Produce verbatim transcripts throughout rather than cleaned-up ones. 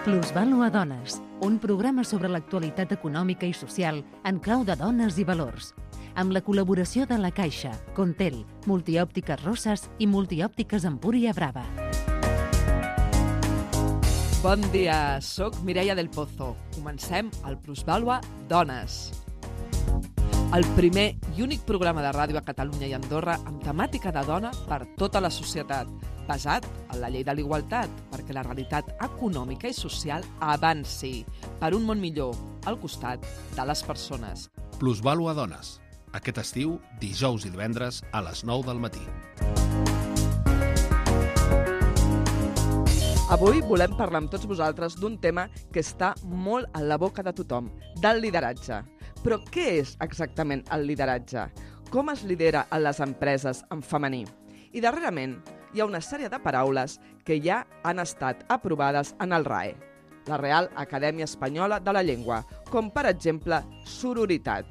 Plusvàlua Dones, un programa sobre l'actualitat econòmica i social en clau de dones i valors, amb la col·laboració de La Caixa, Contel, Multiòptiques Rosses i Multiòptiques Empúria Brava. Bon dia, soc Mireia del Pozo. Comencem el Plusvàlua Dones. El primer i únic programa de ràdio a Catalunya i Andorra amb temàtica de dona per tota la societat, basat en la llei de l'igualtat, perquè la realitat econòmica i social avanci per un món millor al costat de les persones. Plusvàlua Dones. Aquest estiu, dijous i divendres a les nou del matí. Avui volem parlar amb tots vosaltres d'un tema que està molt a la boca de tothom, del lideratge. Però què és exactament el lideratge? Com es lidera a les empreses en femení? I darrerament hi ha una sèrie de paraules que ja han estat aprovades en el R A E, la Real Acadèmia Espanyola de la Llengua, com per exemple sororitat.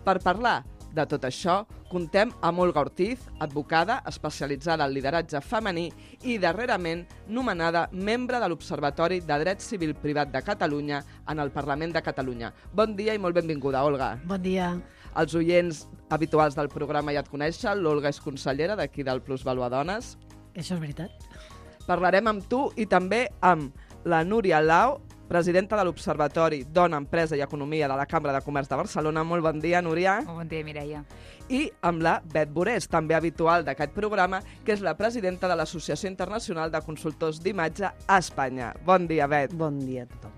Per parlar de tot això, contem amb Olga Ortiz, advocada especialitzada en lideratge femení i darrerament nomenada membre de l'Observatori de Dret Civil Privat de Catalunya en el Parlament de Catalunya. Bon dia i molt benvinguda, Olga. Bon dia. Els oients habituals del programa ja et coneixen, l'Olga és consellera d'aquí del Plusvàlua Dones. Això és veritat. Parlarem amb tu i també amb la Núria Lau, presidenta de l'Observatori Dona, Empresa i Economia de la Cambra de Comerç de Barcelona. Molt bon dia, Núria. Molt bon dia, Mireia. I amb la Bet Borés, també habitual d'aquest programa, que és la presidenta de l'Associació Internacional de Consultors d'Imatge a Espanya. Bon dia, Bet. Bon dia a tothom.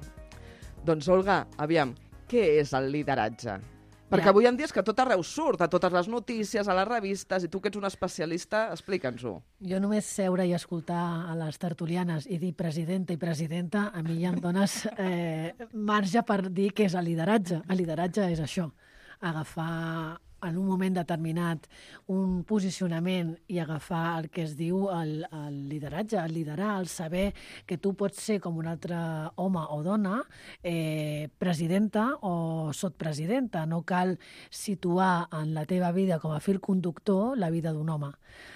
Doncs, Olga, aviam, què és el lideratge? Perquè Ja. avui en dia és que tot arreu surt, a totes les notícies, a les revistes, i tu que ets una especialista, explica'ns-ho. Jo només seure i escoltar a les tertulianes i dir presidenta i presidenta, a mi ja em dones eh, marge per dir què és el lideratge. El lideratge és això, agafar en un moment determinat un posicionament i agafar el que es diu el, el lideratge, el liderar, el saber que tu pots ser com un altre home o dona, eh, presidenta o sotpresidenta. No cal situar en la teva vida com a fil conductor la vida d'un home.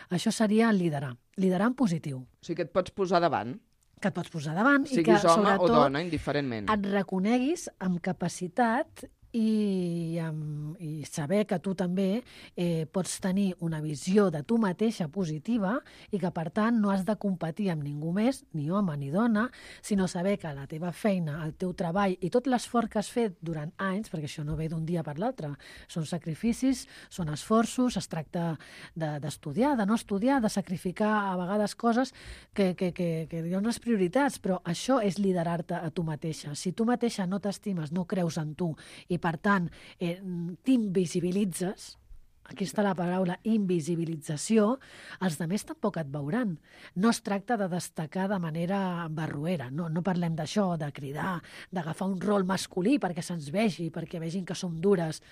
Això seria liderar. Liderar en positiu. O sigui que et pots posar davant, Que et pots posar davant i que, siguis home sobretot, o dona, indiferentment. et reconeguis amb capacitat i, amb, i saber que tu també eh, pots tenir una visió de tu mateixa positiva i que, per tant, no has de competir amb ningú més, ni home ni dona, sinó saber que la teva feina, el teu treball i tot l'esforç que has fet durant anys, perquè això no ve d'un dia per l'altre, són sacrificis, són esforços, es tracta d'estudiar, de, de no estudiar, de sacrificar a vegades coses que, que, que, que hi ha unes prioritats, però això és liderar-te a tu mateixa. Si tu mateixa no t'estimes, no creus en tu i, per tant, eh, t'invisibilitzes, aquí està la paraula invisibilització, els altres tampoc et veuran. No es tracta de destacar de manera barroera, no, no parlem d'això, de cridar, d'agafar un rol masculí perquè se'ns vegi, perquè vegin que som dures.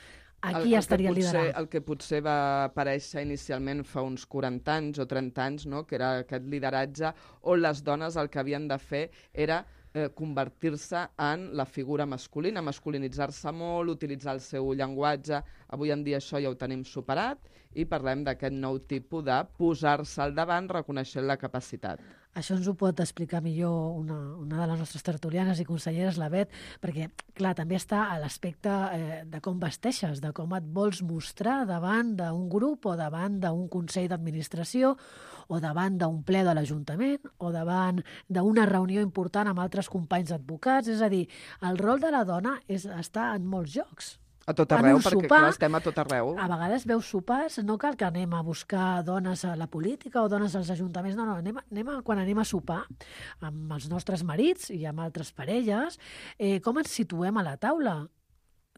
Aquí el, el estaria el liderar. El que potser va aparèixer inicialment fa uns quaranta anys o trenta anys, no? Que era aquest lideratge on les dones el que havien de fer era eh, convertir-se en la figura masculina, masculinitzar-se molt, utilitzar el seu llenguatge. Avui en dia això ja ho tenim superat i parlem d'aquest nou tipus de posar-se al davant reconeixent la capacitat. Això ens ho pot explicar millor una, una de les nostres tertulianes i conselleres, la Bet, perquè, clar, també està a l'aspecte eh, de com vesteixes, de com et vols mostrar davant d'un grup o davant d'un consell d'administració o davant d'un ple de l'Ajuntament o davant d'una reunió important amb altres companys advocats. És a dir, el rol de la dona és estar en molts llocs. A tot En arreu, un perquè sopar, clar, estem a tot arreu. A vegades veus sopars, no cal que anem a buscar dones a la política o dones als ajuntaments, no, no, anem, a, anem a, quan anem a sopar amb els nostres marits i amb altres parelles, eh, com ens situem a la taula?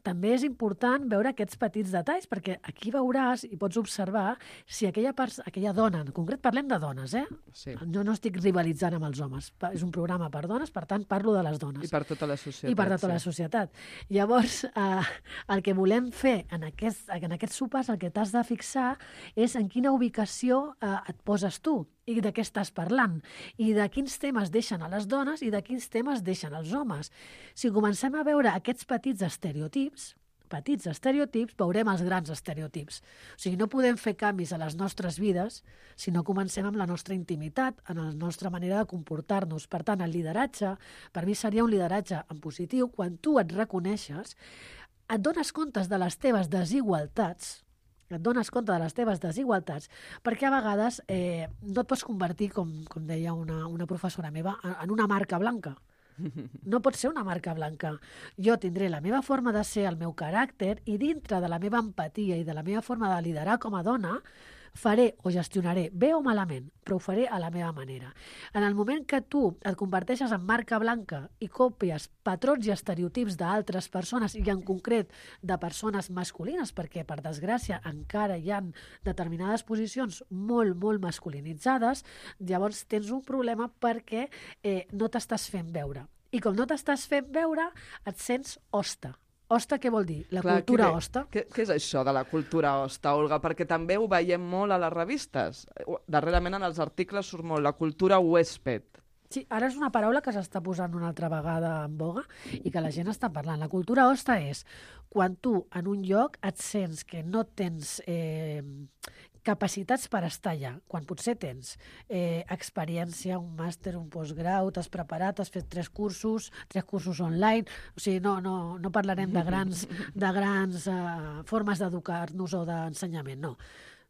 També és important veure aquests petits detalls, perquè aquí veuràs i pots observar si aquella, part, aquella dona, en concret parlem de dones, eh? Sí. Jo no estic rivalitzant amb els homes, és un programa per dones, per tant parlo de les dones. I per tota la societat. I per tota sí. la societat. Llavors, eh, el que volem fer en, aquest, en aquests sopars, el que t'has de fixar és en quina ubicació eh, et poses tu i de què estàs parlant, i de quins temes deixen a les dones i de quins temes deixen als homes. Si comencem a veure aquests petits estereotips, petits estereotips, veurem els grans estereotips. O sigui, no podem fer canvis a les nostres vides si no comencem amb la nostra intimitat, en la nostra manera de comportar-nos. Per tant, el lideratge, per mi seria un lideratge en positiu, quan tu et reconeixes, et dones comptes de les teves desigualtats, et dones compte de les teves desigualtats, perquè a vegades eh, no et pots convertir, com, com deia una, una professora meva, en una marca blanca. No pot ser una marca blanca. Jo tindré la meva forma de ser, el meu caràcter, i dintre de la meva empatia i de la meva forma de liderar com a dona, faré o gestionaré bé o malament, però ho faré a la meva manera. En el moment que tu et converteixes en marca blanca i copies patrons i estereotips d'altres persones, i en concret de persones masculines, perquè, per desgràcia, encara hi ha determinades posicions molt, molt masculinitzades, llavors tens un problema perquè eh, no t'estàs fent veure. I com no t'estàs fent veure, et sents hoste. Hoste què vol dir? La Clar, cultura què, hoste. Què, què és això de la cultura hoste, Olga? Perquè també ho veiem molt a les revistes. Darrerament en els articles surt molt la cultura huésped. Sí, ara és una paraula que s'està posant una altra vegada en boga i que la gent està parlant. La cultura hoste és quan tu en un lloc et sents que no tens eh, capacitats per estar allà, quan potser tens eh, experiència, un màster, un postgrau, t'has preparat, has fet tres cursos, tres cursos online, o sigui, no, no, no parlarem de grans, de grans eh, formes d'educar-nos o d'ensenyament, no.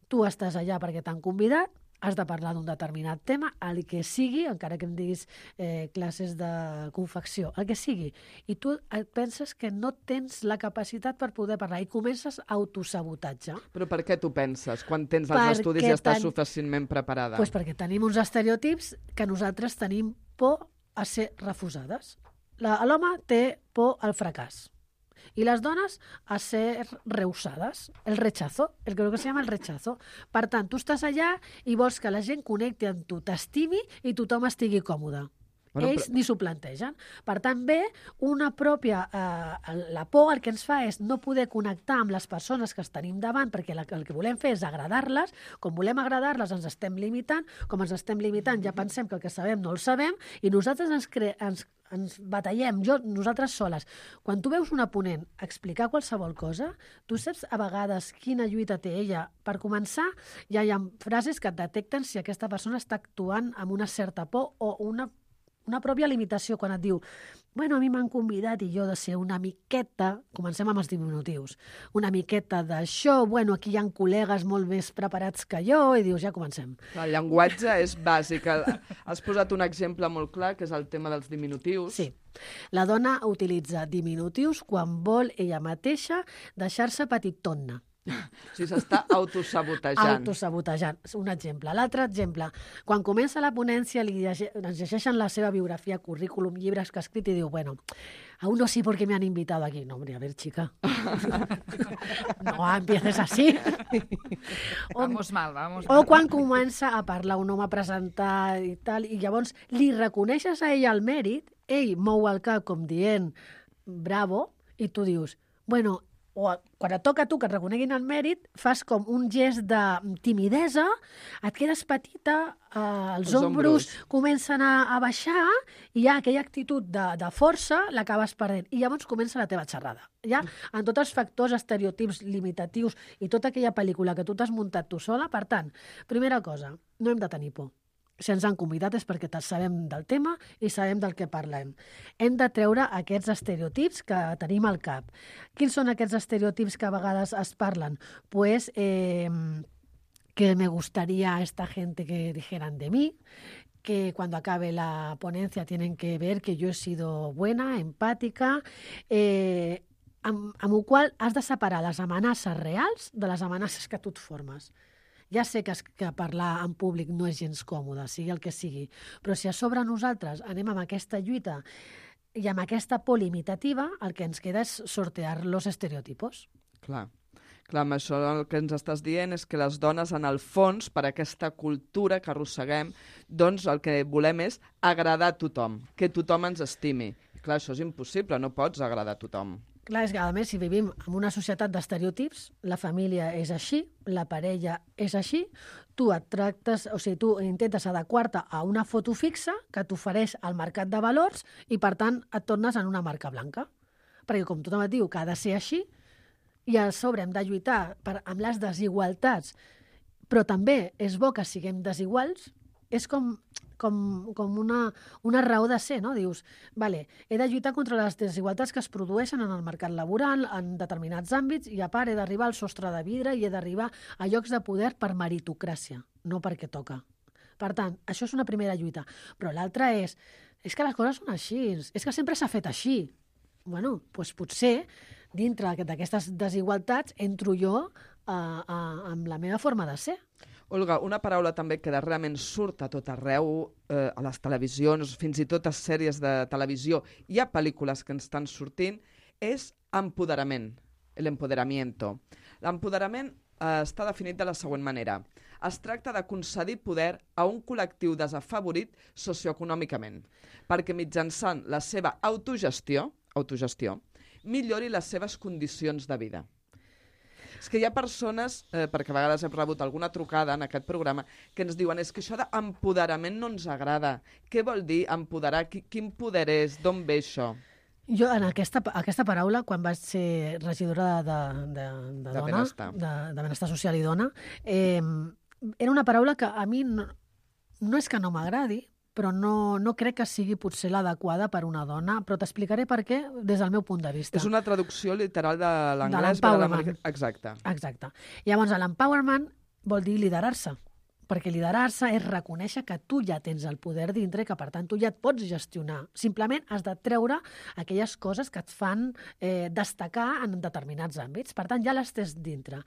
Tu estàs allà perquè t'han convidat, has de parlar d'un determinat tema, el que sigui, encara que em diguis eh, classes de confecció, el que sigui, i tu et penses que no tens la capacitat per poder parlar i comences autosabotatge. Però per què tu penses, quan tens els perquè estudis i estàs ten... suficientment preparada? Pues perquè tenim uns estereotips que nosaltres tenim por a ser refusades. L'home té por al fracàs. Y las dones a ser rehusades, el rechazo, el que se llama el rechazo. Per tant, tu estàs allà i vols que la gent connecti amb tu, t'estimi i tothom estigui còmode. Bueno, Ells però... ni s'ho plantegen. Per tant, bé, una pròpia... Eh, la por el que ens fa és no poder connectar amb les persones que es tenim davant, perquè la, el que volem fer és agradar-les. Com volem agradar-les ens estem limitant. Com ens estem limitant ja pensem que el que sabem no el sabem i nosaltres ens, cre... ens, ens batallem, jo, nosaltres soles. Quan tu veus una ponent explicar qualsevol cosa, tu saps a vegades quina lluita té ella. Per començar, ja hi ha frases que et detecten si aquesta persona està actuant amb una certa por o una una pròpia limitació quan et diu bueno, a mi m'han convidat i jo de ser una miqueta, comencem amb els diminutius, una miqueta d'això, bueno, aquí hi ha col·legues molt més preparats que jo, i dius, ja comencem. El llenguatge és bàsic. Has posat un exemple molt clar, que és el tema dels diminutius. Sí. La dona utilitza diminutius quan vol ella mateixa deixar-se petitonna. O sigui, s'està autosabotejant. Autosabotejant, un exemple. L'altre exemple, quan comença la ponència li llege, ens llegeixen la seva biografia, currículum, llibres que ha escrit i diu, bueno, aún no sé por qué me han invitado aquí. No, hombre, a ver, chica. No empieces así. Vamos mal, vamos mal. O quan mal. comença a parlar un home a presentar i tal, i llavors li reconeixes a ell el mèrit, ell mou el cap com dient bravo, i tu dius, bueno, o quan et toca a tu que et reconeguin el mèrit, fas com un gest de timidesa, et quedes petita, eh, els, els ombros comencen a, a baixar i ja aquella actitud de, de força l'acabes perdent. I llavors comença la teva xerrada. Ja, en tots els factors, estereotips limitatius i tota aquella pel·lícula que tu t'has muntat tu sola. Per tant, primera cosa, no hem de tenir por. Si ens han convidat és perquè sabem del tema i sabem del que parlem. Hem de treure aquests estereotips que tenim al cap. Quins són aquests estereotips que a vegades es parlen? Pues eh, que me gustaría a esta gente que dijeran de mí, que cuando acabe la ponencia tienen que ver que yo he sido buena, empàtica, eh, amb, amb el qual has de separar les amenaces reals de les amenaces que tu et formes. Ja sé que, que parlar en públic no és gens còmode, sigui el que sigui, però si a sobre nosaltres anem amb aquesta lluita i amb aquesta por limitativa, el que ens queda és sortear los estereotipos. Clar. Clar, amb això el que ens estàs dient és que les dones, en el fons, per aquesta cultura que arrosseguem, doncs el que volem és agradar a tothom, que tothom ens estimi. Clar, això és impossible, no pots agradar a tothom. Clar, és que a més, si vivim en una societat d'estereotips, la família és així, la parella és així, tu et tractes, o sigui, tu intentes adequar-te a una foto fixa que t'ofereix al mercat de valors i, per tant, et tornes en una marca blanca. Perquè, com tothom et diu que ha de ser així, i a sobre hem de lluitar per, amb les desigualtats, però també és bo que siguem desiguals, és com, com, com una, una raó de ser, no? Dius, vale, he de lluitar contra les desigualtats que es produeixen en el mercat laboral, en determinats àmbits, i a part he d'arribar al sostre de vidre i he d'arribar a llocs de poder per meritocràcia, no perquè toca. Per tant, això és una primera lluita. Però l'altra és, és que les coses són així, és que sempre s'ha fet així. Bueno, doncs potser, dintre d'aquestes desigualtats, entro jo a, a, amb la meva forma de ser. Olga, una paraula també que darrerament surt a tot arreu, eh, a les televisions, fins i tot a sèries de televisió, hi ha pel·lícules que ens estan sortint, és empoderament, l'empoderamiento. L'empoderament eh, està definit de la següent manera. Es tracta de concedir poder a un col·lectiu desafavorit socioeconòmicament, perquè mitjançant la seva autogestió, autogestió millori les seves condicions de vida. És que hi ha persones, eh, perquè a vegades hem rebut alguna trucada en aquest programa, que ens diuen és que això d'empoderament no ens agrada. Què vol dir empoderar? Quin poder és? D'on ve això? Jo, en aquesta, aquesta paraula, quan vaig ser regidora de, de, de, de, de dona, benestar. De, de benestar social i dona, eh, era una paraula que a mi no, no és que no m'agradi, però no, no crec que sigui potser l'adequada per una dona, però t'explicaré per què des del meu punt de vista. És una traducció literal de l'anglès. De l'empowerment. Exacte. Exacte. Llavors, l'empowerment vol dir liderar-se, perquè liderar-se és reconèixer que tu ja tens el poder dintre i que, per tant, tu ja et pots gestionar. Simplement has de treure aquelles coses que et fan eh, destacar en determinats àmbits. Per tant, ja les tens dintre.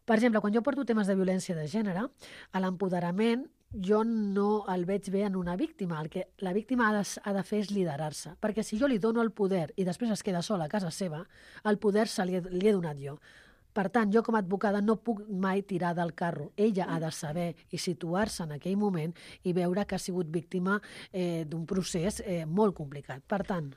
Per exemple, quan jo porto temes de violència de gènere, a l'empoderament jo no el veig bé en una víctima. El que la víctima ha de, ha de fer és liderar-se. Perquè si jo li dono el poder i després es queda sola a casa seva, el poder se li he, li he donat jo. Per tant, jo com a advocada no puc mai tirar del carro. Ella ha de saber i situar-se en aquell moment i veure que ha sigut víctima eh, d'un procés eh, molt complicat. Per tant,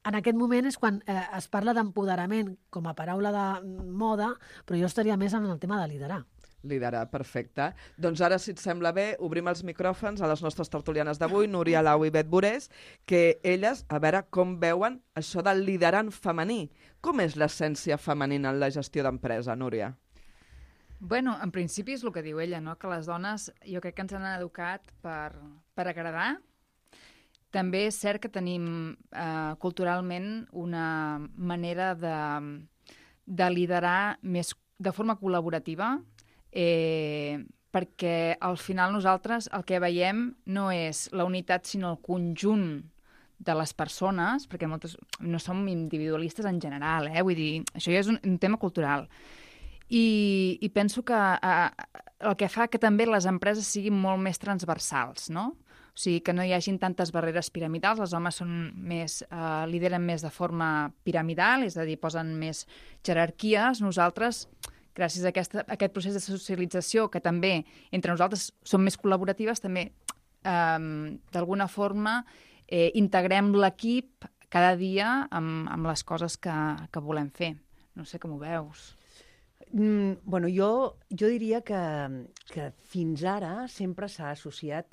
en aquest moment és quan eh, es parla d'empoderament com a paraula de moda, però jo estaria més en el tema de liderar. Liderar, perfecte. Doncs ara, si et sembla bé, obrim els micròfons a les nostres tertulianes d'avui, Núria Lau i Bet Borés, que elles, a veure com veuen això del liderant femení. Com és l'essència femenina en la gestió d'empresa, Núria? Bueno, en principi és el que diu ella, no? Que les dones jo crec que ens han educat per, per agradar. També és cert que tenim eh, culturalment una manera de, de liderar més de forma col·laborativa, eh, perquè al final nosaltres el que veiem no és la unitat sinó el conjunt de les persones, perquè moltes no som individualistes en general, eh? Vull dir, això ja és un, un tema cultural. I, i penso que eh, el que fa que també les empreses siguin molt més transversals, no? O sigui, que no hi hagin tantes barreres piramidals, els homes són més, eh, lideren més de forma piramidal, és a dir, posen més jerarquies. Nosaltres, gràcies a, aquesta, a aquest procés de socialització, que també entre nosaltres som més col·laboratives, també eh, d'alguna forma eh, integrem l'equip cada dia amb, amb les coses que, que volem fer. No sé com ho veus. Mm, bueno, jo, jo diria que, que fins ara sempre s'ha associat,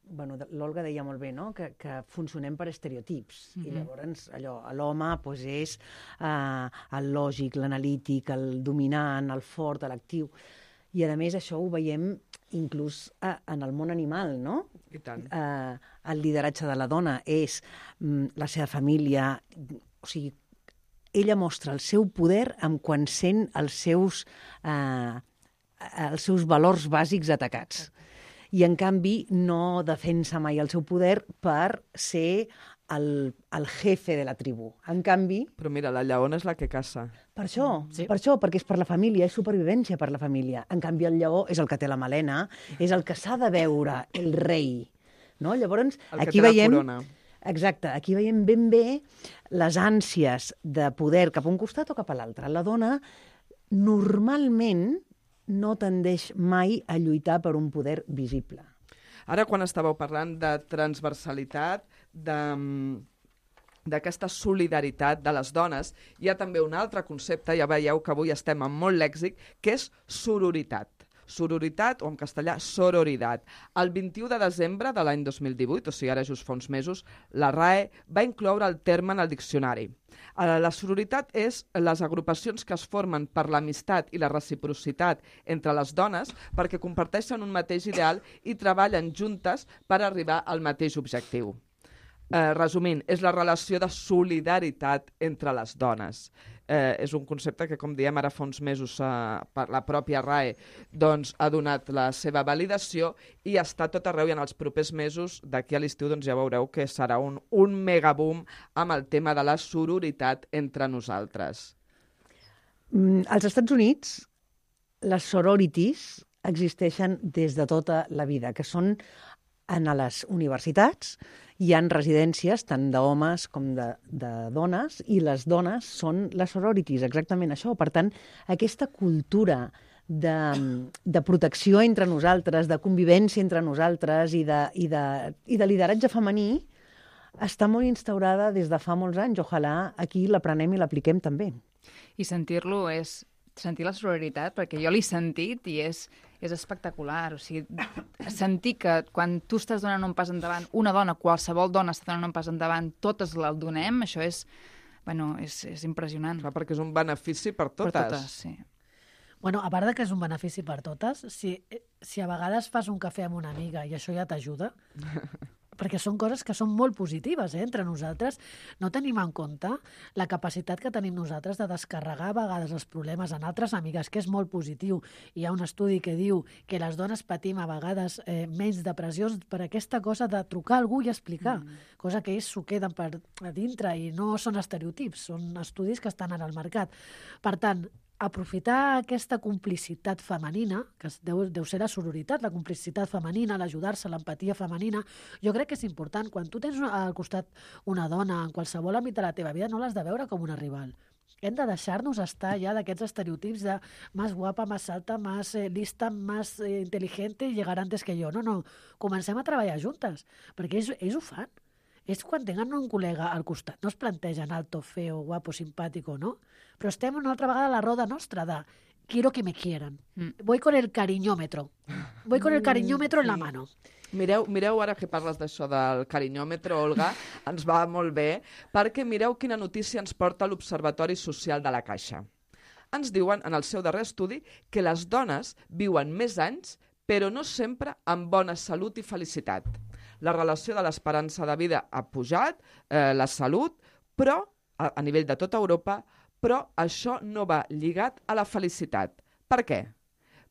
bueno, l'Olga deia molt bé, no? que, que funcionem per estereotips. Mm-hmm. I llavors allò, l'home pues, és uh, el lògic, l'analític, el dominant, el fort, l'actiu. I a més això ho veiem inclús uh, en el món animal, no? I tant. Uh, el lideratge de la dona és um, la seva família, o sigui, ella mostra el seu poder en quan sent els seus, uh, els seus valors bàsics atacats. I, en canvi, no defensa mai el seu poder per ser el, el jefe de la tribu. En canvi... Però mira, la lleona és la que caça. Per això, sí. per això, perquè és per la família, és supervivència per la família. En canvi, el lleó és el que té la melena, és el que s'ha de veure, el rei. No? Llavors, el que aquí té veiem... la corona. Exacte, aquí veiem ben bé les ànsies de poder cap a un costat o cap a l'altre. La dona normalment no tendeix mai a lluitar per un poder visible. Ara, quan estàveu parlant de transversalitat, de, d'aquesta solidaritat de les dones, hi ha també un altre concepte, ja veieu que avui estem amb molt lèxic, que és sororitat. sororitat, o en castellà, sororidad. El vint-i-u de desembre de l'any dos mil divuit, o sigui, ara just fa uns mesos, la R A E va incloure el terme en el diccionari. La sororitat és les agrupacions que es formen per l'amistat i la reciprocitat entre les dones perquè comparteixen un mateix ideal i treballen juntes per arribar al mateix objectiu. Eh, resumint, és la relació de solidaritat entre les dones. Eh, és un concepte que, com diem, ara fa uns mesos eh, per la pròpia R A E doncs, ha donat la seva validació i està tot arreu, i en els propers mesos, d'aquí a l'estiu, doncs, ja veureu que serà un, un megaboom amb el tema de la sororitat entre nosaltres. Mm, als Estats Units, les sororities existeixen des de tota la vida, que són en les universitats, hi ha residències tant d'homes com de, de dones, i les dones són les sororities, exactament això. Per tant, aquesta cultura de, de protecció entre nosaltres, de convivència entre nosaltres i de, i de, i de lideratge femení està molt instaurada des de fa molts anys. Ojalà aquí l'aprenem i l'apliquem també. I sentir-lo és sentir la sororitat, perquè jo l'he sentit i és, és espectacular. O sigui, sentir que quan tu estàs donant un pas endavant, una dona, qualsevol dona està donant un pas endavant, totes el donem, això és, bueno, és, és impressionant. Clar, perquè és un benefici per totes. Per totes, sí. Bueno, a part de que és un benefici per totes, si, si a vegades fas un cafè amb una amiga i això ja t'ajuda, perquè són coses que són molt positives, eh? Entre nosaltres no tenim en compte la capacitat que tenim nosaltres de descarregar a vegades els problemes en altres amigues, que és molt positiu. Hi ha un estudi que diu que les dones patim a vegades eh, menys depressions per aquesta cosa de trucar a algú i explicar, mm. cosa que ells s'ho queden per a dintre i no són estereotips, són estudis que estan ara al mercat. Per tant, aprofitar aquesta complicitat femenina, que deu, deu ser la sororitat, la complicitat femenina, l'ajudar-se, l'empatia femenina, jo crec que és important. Quan tu tens al costat una dona en qualsevol àmbit de la teva vida, no l'has de veure com una rival. Hem de deixar-nos estar ja d'aquests estereotips de més guapa, més alta, més eh, lista, més eh, intel·ligente i llegar antes que jo. No, no, comencem a treballar juntes, perquè ells, ells ho fan. És quan tenen un col·lega al costat. No es plantegen alto, feo, guapo, simpàtico, no? Però estem una altra vegada a la roda nostra de quiero que me quieran. Mm. Voy con el cariñómetro. Voy con el cariñómetro mm, sí. en la mano. Mireu, mireu ara que parles d'això del cariñòmetre, Olga, ens va molt bé, perquè mireu quina notícia ens porta l'Observatori Social de la Caixa. Ens diuen, en el seu darrer estudi, que les dones viuen més anys, però no sempre amb bona salut i felicitat. La relació de l'esperança de vida ha pujat, eh, la salut, però a, a nivell de tota Europa, però això no va lligat a la felicitat. Per què?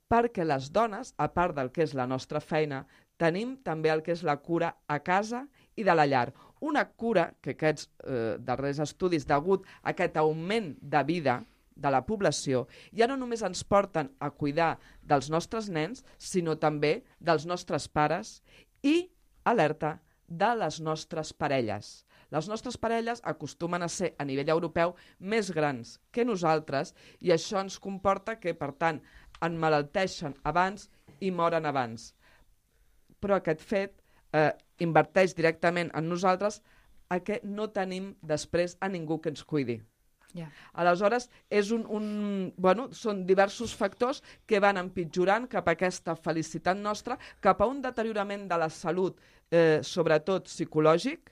Perquè les dones, a part del que és la nostra feina, tenim també el que és la cura a casa i de la llar. Una cura que aquests eh, darrers estudis, degut a aquest augment de vida de la població, ja no només ens porten a cuidar dels nostres nens, sinó també dels nostres pares i, alerta, de les nostres parelles. Les nostres parelles acostumen a ser, a nivell europeu, més grans que nosaltres i això ens comporta que, per tant, emmalalteixen abans i moren abans. Però aquest fet eh, inverteix directament en nosaltres a que no tenim després a ningú que ens cuidi. Yeah. Aleshores, és un, un, bueno, són diversos factors que van empitjorant cap a aquesta felicitat nostra, cap a un deteriorament de la salut, eh, sobretot psicològic,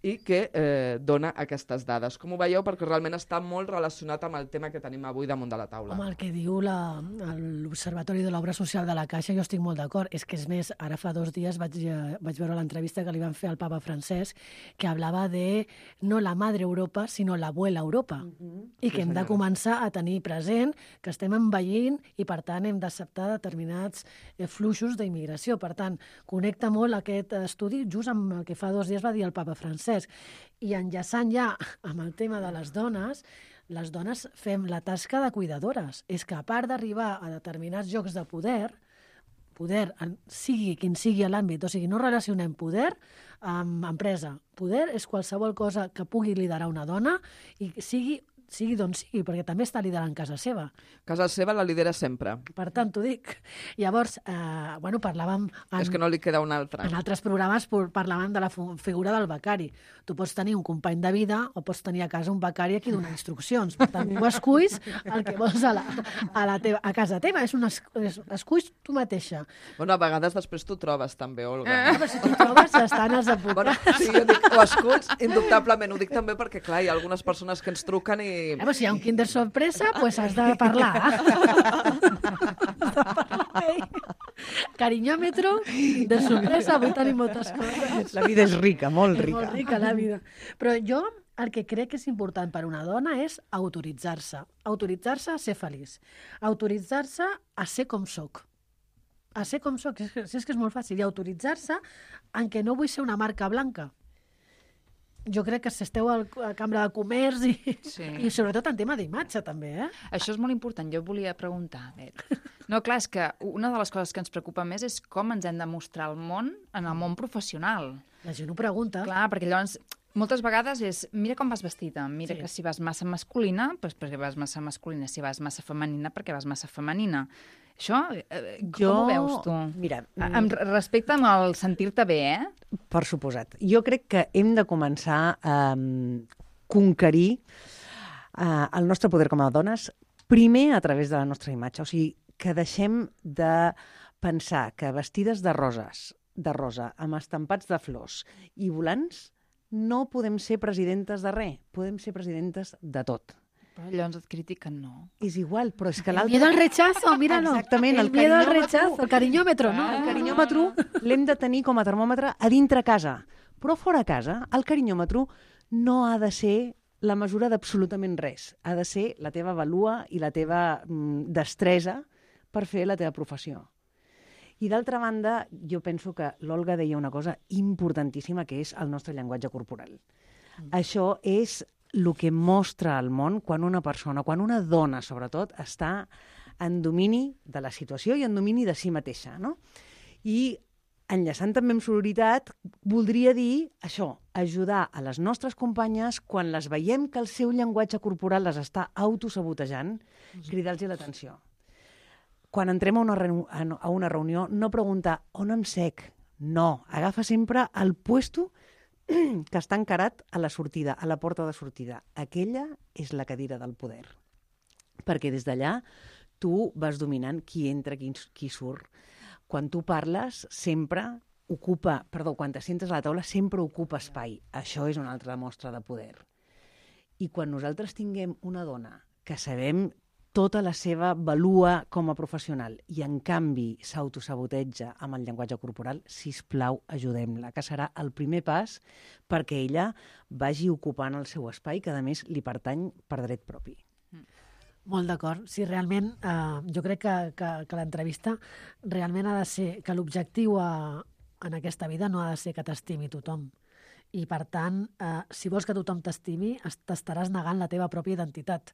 i que eh, dona aquestes dades. Com ho veieu? Perquè realment està molt relacionat amb el tema que tenim avui damunt de la taula. Home, el que diu la, l'Observatori de l'Obra Social de la Caixa, jo estic molt d'acord. És que, és més, ara fa dos dies vaig, vaig veure l'entrevista que li van fer al papa Francesc, que hablava de no la madre Europa, sinó l'abuela Europa. Uh-huh. I que sí, hem de començar a tenir present que estem envellint i, per tant, hem d'acceptar determinats eh, fluxos d'immigració. Per tant, connecta molt aquest estudi just amb el que fa dos dies va dir el papa Francesc. I enllaçant ja amb el tema de les dones, les dones fem la tasca de cuidadores. És que a part d'arribar a determinats llocs de poder, poder, sigui quin sigui l'àmbit, o sigui, no relacionem poder amb empresa. Poder és qualsevol cosa que pugui liderar una dona i sigui sigui d'on sigui, perquè també està liderant casa seva. Casa seva la lidera sempre. Per tant, t'ho dic. Llavors, eh, bueno, parlàvem... En, És que no li queda una altra. En altres programes parlàvem de la figura del becari. Tu pots tenir un company de vida o pots tenir a casa un becari a qui donar instruccions. Per tant, tu esculls el que vols a, la, a, la teva, a casa teva. És un es, es, esculls tu mateixa. Bueno, a vegades després t'ho trobes també, Olga. Ah, però si t'ho trobes, estan els advocats. Bueno, sí, jo dic, ho esculls, indubtablement. Ho dic també perquè, clar, hi ha algunes persones que ens truquen i... Eh, però si hi ha un kinder sorpresa, doncs pues has de parlar. Has de parlar. Cariñòmetro, de sorpresa, avui tenim moltes coses. La vida és rica, molt És rica. molt rica, la vida. Però jo el que crec que és important per una dona és autoritzar-se. Autoritzar-se a ser feliç. Autoritzar-se a ser com soc. A ser com soc. Si és, és que és molt fàcil. I autoritzar-se en què no vull ser una marca blanca. Jo crec que si esteu a la Cambra de Comerç i, Sí. i sobretot en tema d'imatge, també, eh? Això és molt important, jo volia preguntar. Bet. No, clar, és que una de les coses que ens preocupa més és com ens hem de mostrar al món, en el món professional. La gent ho pregunta. Clar, perquè llavors, moltes vegades és, mira com vas vestida, mira Sí. que si vas massa masculina, doncs perquè vas massa masculina, si vas massa femenina, perquè vas massa femenina. Això, eh, com Jo- ho veus tu? mira, A- Amb respecte amb el sentir-te bé, eh? Per suposat. Jo crec que hem de començar a um, conquerir uh, el nostre poder com a dones, primer a través de la nostra imatge. O sigui, que deixem de pensar que vestides de roses, de rosa, amb estampats de flors i volants, no podem ser presidentes de res, podem ser presidentes de tot. Però llavors et critiquen, no. És igual, però és que El l'altre... miedo al rechazo, míralo. Exactament, el el miedo al cariñòmetre. rechazo, el cariñòmetro, no? El cariñòmetre l'hem de tenir com a termòmetre a dintre casa. Però fora casa, el cariñòmetre no ha de ser la mesura d'absolutament res. Ha de ser la teva valua i la teva mm, destresa per fer la teva professió. I d'altra banda, jo penso que l'Olga deia una cosa importantíssima, que és el nostre llenguatge corporal. Mm. Això és el que mostra al món quan una persona, quan una dona, sobretot, està en domini de la situació i en domini de si mateixa, no? I enllaçant també amb sororitat, voldria dir això, ajudar a les nostres companyes quan les veiem que el seu llenguatge corporal les està autosabotejant, cridar-los l'atenció. Quan entrem a una, reu- a una reunió, no preguntar on em sec. No, agafa sempre el puesto que està encarat a la sortida, a la porta de sortida. Aquella és la cadira del poder. Perquè des d'allà tu vas dominant qui entra, qui, qui surt. Quan tu parles, sempre ocupa, perdó, quan te sentes a la taula, sempre ocupa espai. Això és una altra mostra de poder. I quan nosaltres tinguem una dona que sabem tota la seva valua com a professional i, en canvi, s'autosaboteja amb el llenguatge corporal, sisplau, ajudem-la, que serà el primer pas perquè ella vagi ocupant el seu espai, que, a més, li pertany per dret propi. Molt d'acord. Sí, realment, eh, jo crec que, que, que l'entrevista realment ha de ser, que l'objectiu a, en aquesta vida no ha de ser que t'estimi tothom. I, per tant, eh, si vols que tothom t'estimi, t'estaràs negant la teva pròpia identitat,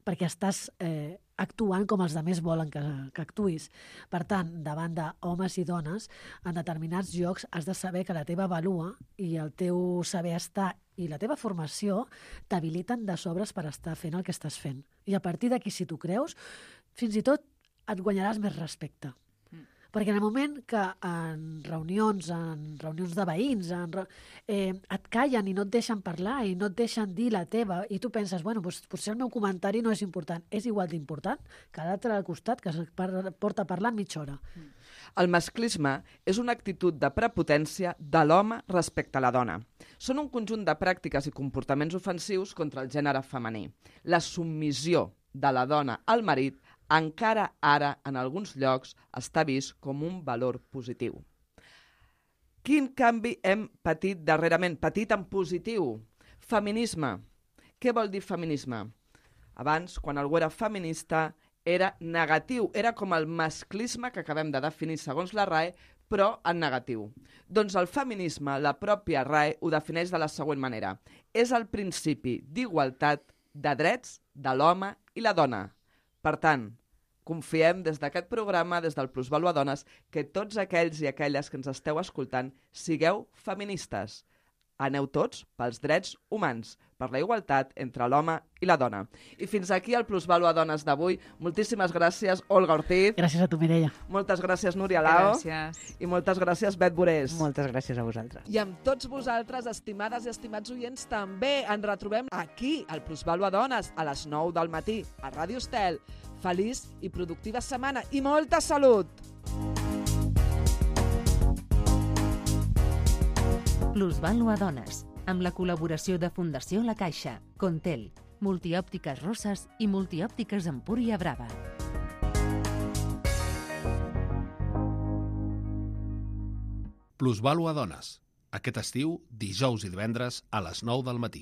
perquè estàs eh, actuant com els altres volen que, que actuïs. Per tant, davant d'homes i dones, en determinats llocs has de saber que la teva valua i el teu saber estar i la teva formació t'habiliten de sobres per estar fent el que estàs fent. I a partir d'aquí, si t'ho creus, fins i tot et guanyaràs més respecte. Perquè en el moment que en reunions, en reunions de veïns, en, eh, et callen i no et deixen parlar i no et deixen dir la teva i tu penses, bueno, doncs, potser el meu comentari no és important. És igual d'important que l'altre al costat que es porta parlant mitja hora. El masclisme és una actitud de prepotència de l'home respecte a la dona. Són un conjunt de pràctiques i comportaments ofensius contra el gènere femení. La submissió de la dona al marit encara ara, en alguns llocs, està vist com un valor positiu. Quin canvi hem patit darrerament? Patit en positiu. Feminisme. Què vol dir feminisme? Abans, quan algú era feminista, era negatiu. Era com el masclisme que acabem de definir segons la R A E, però en negatiu. Doncs el feminisme, la pròpia R A E, ho defineix de la següent manera. És el principi d'igualtat de drets de l'home i la dona. Per tant, confiem des d'aquest programa, des del Plusvalua Dones, que tots aquells i aquelles que ens esteu escoltant sigueu feministes. Aneu tots pels drets humans, per la igualtat entre l'home i la dona. I fins aquí el Plusvalua Dones d'avui. Moltíssimes gràcies, Olga Ortiz. Gràcies a tu, Mireia. Moltes gràcies, Núria Lao. Gràcies. I moltes gràcies, Bet Borés. Moltes gràcies a vosaltres. I amb tots vosaltres, estimades i estimats oients, també ens retrobem aquí, al Plusvalua Dones, a les nou del matí, a Ràdio Estel. Feliç i productiva setmana i molta salut! Plusvalua Dones, amb la col·laboració de Fundació La Caixa, Contel, Multiòptiques Roses i Multiòptiques Empúria Brava. Plusvalua Dones. Aquest estiu, dijous i divendres a les nou del matí.